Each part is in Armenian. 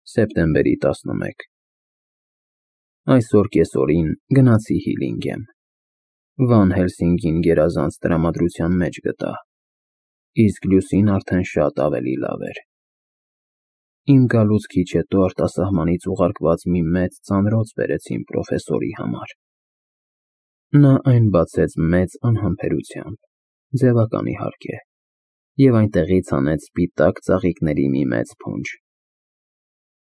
Սեպտեմբերի 11 Այսօր կեսօրին գնացի Հիլինգեմ։ Վան Հելսինգին գերազանց տրամադրության մեջ գտա, իսկ Լյուսին արդեն շատ ավելի լավ էր։ Իմ գալուց քիչ հետո արտասահմանից ուղարկված մի մեծ ծանրոց բերեցին պրոֆեսորի համար։ Նա այն բացեց մեծ անհամբերությամբ, ձևական իհարկե, և այնտեղից հանեց սպիտակ ծաղիկների մի մեծ փունջ։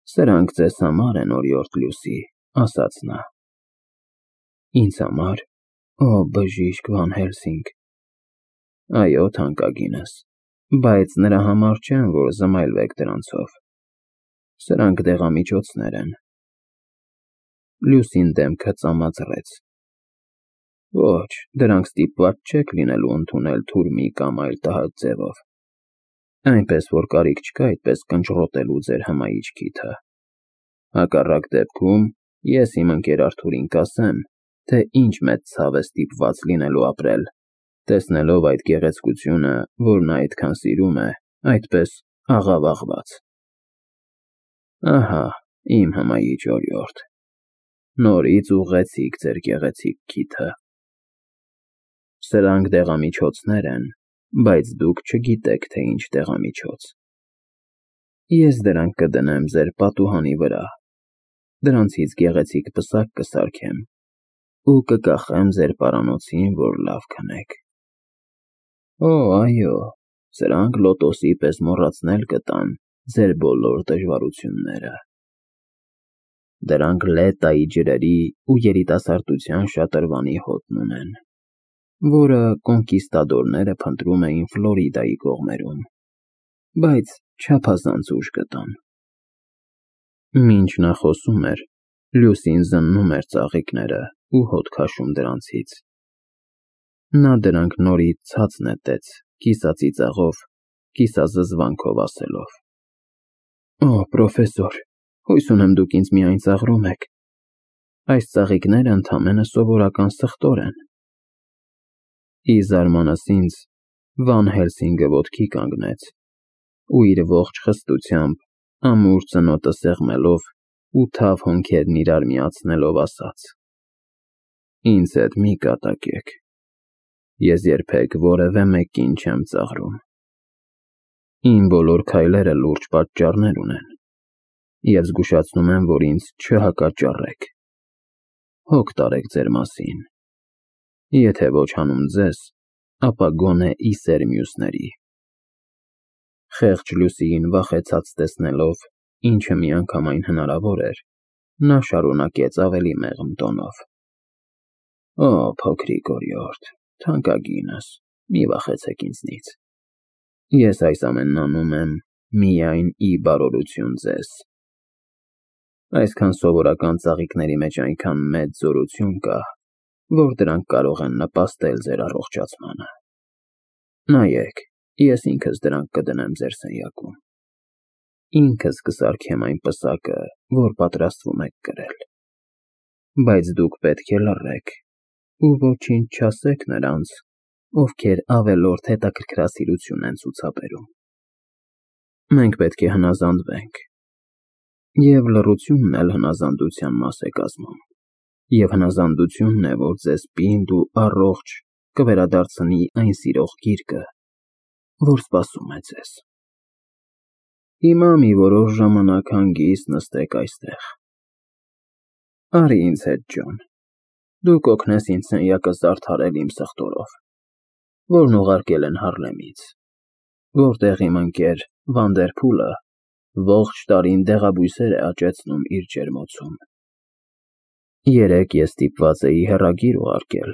Սրանք ձեզ համար են, օրիորդ Լյուսի, ասաց նա։ Ինձ համար, օ բժիշկ Վան Հելսինգ։ Այո, թանկագինս, բայց նրա համար չեմ, որ զմայլվեք դրանցով։ Սրանք դեղամիջոցներ են։ Լյուսին դեմքը ծամածռեց։ Ոչ, դրանք ստիպված չեք լինելու ընդունել թուրմի կամ այլ տհաճ ձևով, այնպես որ կարիք չկա այդպես կնճռոտելու ձեր հմայիչ քիթը։ Հակառակ դեպքում ես իմ ընկեր Արթուրին կասեմ, թե ինչ մեծ ցավ է ստիպված լինելու ապրել, տեսնելով այդ գեղեցկությունը, որ նա այդքան սիրում է, այդպես աղավաղված։ Ահա, իմ հմայիչ օրիորդ, նորից ուղղեցիք ձեր գեղեցիկ քիթը։ Սրանք դեղամիջոցներ են, բայց դուք չգիտեք, թե ինչ դեղամիջոց։ Ես դրանք կդնեմ ձեր պատուհանի վրա, դրանցից գեղեցիկ պսակ կսարքեմ ու կկախեմ ձեր պարանոցին, որ լավ քնեք։ Օ, այո, սրանք լոտոսի պես մոռացնել կտան ձեր բոլոր դժվարությունները։ Դրանք Լետայի ջրերի ու երիտասարդության շատրվանի հոտն ունեն, որը կոնկիստադորները փնտրում էին Ֆլորիդայի կողմերում, բայց չափազանց ուշ գտան։ Մինչ նա խոսում էր, Լյուսին զննում էր ծաղիկները ու հոտ քաշում դրանցից։ Նա դրանք նորից ցած նետեց, կիսածիծաղով, կիսազզվանքով ասելով. Օ, պրոֆեսոր, հույս ունեմ դուք ինձ միայն ծաղրում եք։ Այս ծաղիկները ընդամենը սովորական սխտոր են։ Ի զարմանս ինձ, Վան Հելսինգը ոտքի կանգնեց ու իր ողջ խստությամբ, ամուր ծնոտը սեղմելով ու թավ հոնքերն իրար միացնելով ասաց. Ինձ հետ մի կատակեք, ես երբեք որևէ մեկին չեմ ծաղրում։ Իմ բոլոր քայլերը լուրջ պատճառներ ունեն, և զգուշացնում եմ, որ ինձ չհակաճառեք։ Հոգ տարեք ձեր մասին, եթե ոչ հանուն ձեզ, ապա գոնե ի սեր մյուսների։ Խեղճ Լյուսիին վախեցած տեսնելով, ինչը միանգամայն հնարավոր էր, նա շարունակեց ավելի մեղմ տոնով. Օ, փոքրիկ օրիորդ, թանկագինս, մի վախեցեք ինձնից։ Ես այս ամենն անում եմ միայն ի բարօրություն ձեզ։ Այսքան սովորական ծաղիկների մեջ այնքան մեծ զորություն կա, որ դրանք կարող են նպաստել ձեր առողջացմանը։ Նայեք, ես ինքս դրանք կդնեմ ձեր սենյակում։ Ինքս կսարքեմ այն պսակը, որ պատրաստվում եք կրել։ Բայց դուք պետք է լռեք ու ոչինչ չասեք նրանց, ովքեր ավելորդ հետաքրքրասիրություն են ցուցաբերում։ Մենք պետք է հնազանդվենք, և լռությունն էլ հնազանդության մաս է կազմում, և հնազանդությունն է, որ ձեզ պինդ ու առողջ կվերադարձնի այն սիրող գիրկը, որ սպասում է ձեզ։ Հիմա մի որոշ ժամանակ հանգիստ նստեք այստեղ։ Արի ինձ հետ, Ջոն, դու կօգնես ինձ սենյակը զարդարել իմ սխտորով, որն ուղարկել են Հարլեմից, որտեղ իմ ընկեր Վանդերփուլը ողջ տարին դեղաբույսեր է աճեցնում իր ջերմոցում։ Երեկ ես ստիպված էի հեռագիր ուղարկել,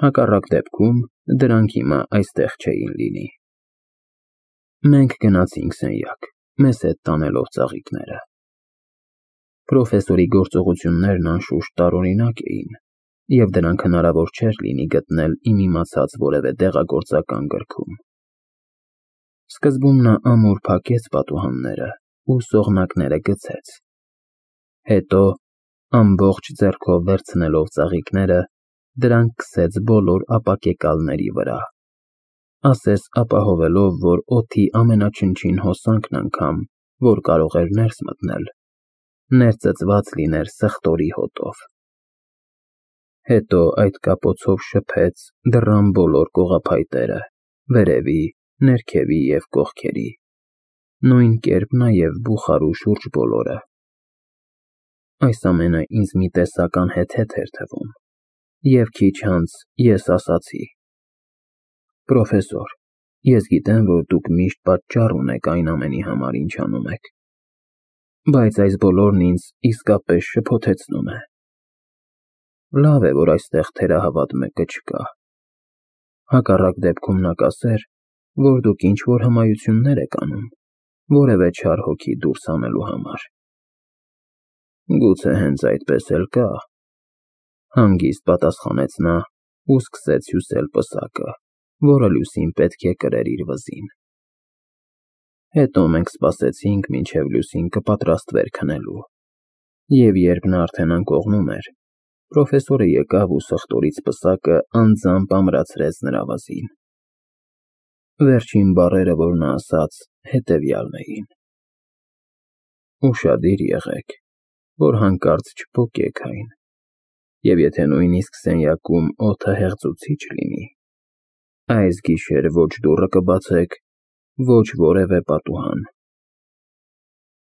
հակառակ դեպքում դրանք հիմա այստեղ չէին լինի։ Մենք գնացինք սենյակ, մեզ հետ տանելով ծաղիկները։ Պրոֆեսորի գործողություններն անշուշտ տարօրինակ էին, և դրանք հնարավոր չէր լինի գտնել իմ իմացած որևէ դեղագործական գրքում։ Սկզբում նա ամուր փակեց պատուհանները ու սողնակները գցեց։ Հետո, ամբողջ ձեռքով վերցնելով ծաղիկները, դրանք քսեց բոլոր ապակեկալների վրա, ասես ապահովելով, որ օդի ամենաչնչին հոսանքն անգամ, որ կարող էր ներս մտնել, ներծծված լիներ սխտորի հոտով։ Հետո այդ կապոցով շփեց դռան բոլոր կողափայտերը, վերևի, ներքևի և կողքերի, նույն կերպ նաև բուխարու շուրջ բոլորը։ Այս ամենը ինձ մի տեսակ անհեթեթ էր թվում, և քիչ անց ես ասացի. «Պրոֆեսոր, ես գիտեմ, որ դուք միշտ պատճառ ունեք այն ամենի համար, ինչ անում եք, բայց այս բոլորն ինձ իսկապես շփոթեցնում է։ Լավ է, որ այստեղ թերահավատ մեկը չկա։ Հակառակ դեպքում նա կասեր, որ դուք ինչ-որ հմայություններ եք անում, որևէ չար հոգի դուրս հանելու համար»։ Գուցե հենց այդպես էլ կա, հանգիստ պատասխանեց նա ու սկսեց հյուսել պսակը, որը Լուսին պետք է կրեր իր վզին։ Հետո մենք սպասեցինք, մինչև Լուսին կպատրաստվեր քնելու, և երբ նա արդեն անկողնում էր, պրոֆեսորը եկավ ու սխտորից պսակը անձամբ ամրացրեց նրա վզին։ Վերջին բառերը, որ նա ասաց, հետևյալն էին. «Ուշադիր եղեք, որ հանկարծ չփոկեք այն, և եթե նույնիսկ սենյակում օդը հեղձուցիչ լինի, այս գիշեր ոչ դուռը կբացեք, ոչ որևէ պատուհան»։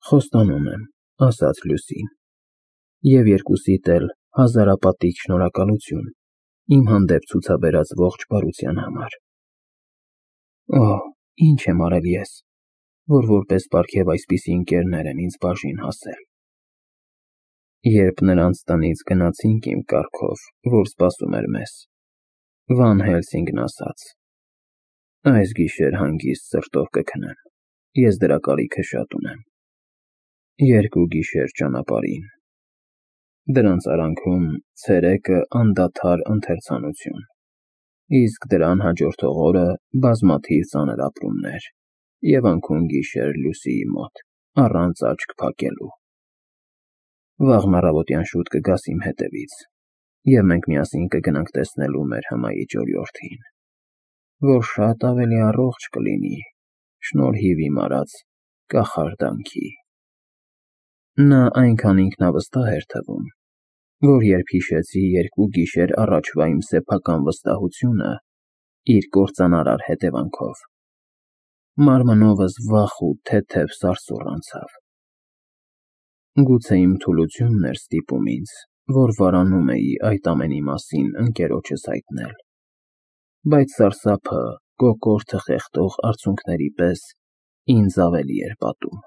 «Խոստանում եմ», ասաց Լուսին, «և երկուսիդ էլ հազարապատիկ շնորհակալություն իմ հանդեպ ցուցաբերած ողջ բարության համար»։ Օհ, ինչ եմ արել ես, որ որպես պարգև այսպիսի ընկերներ են ինձ բաժին հասել։ Երբ նրանց տնից գնացինք իմ կառքով, որ սպասում էր մեզ, Վան Հելսինգն ասաց. «Այս գիշեր հանգիստ սրտով կքնեմ, ես դրա կարիքը շատ ունեմ։ 2 գիշեր ճանապարհին, դրանց արանքում ցերեկը անդադար ընթերցանություն, իսկ դրան հաջորդող օրը բազմաթիվ ծանր ապրումներ և անքուն-գիշեր Լուսիի մոտ, առանց աչք փակելու։ Վաղն առավոտյան շուտ կգաս իմ հետևից, և մենք միասին կգնանք տեսնելու մեր հմայիչ օրիորդին, որ շատ ավելի առողջ կլինի, շնորհիվ իմ արած կախարդանքի»։ Նա այնքան ինքնավստահ էր թվում, որ երբ հիշեցի 2 գիշեր առաջվա իմ սեփական վստահությունը իր կործանարար հետևանքով, մարմնովս վախ ու թեթև սարսուռ անցավ։ Գուցե իմ թուլությունն էր ստիպում ինձ, որ վարանում էի այդ ամենի մասին ընկերոջս հայտնել, բայց սարսափը կոկորդը խեղդող արցունքների պես ինձ ավելի էր պատում։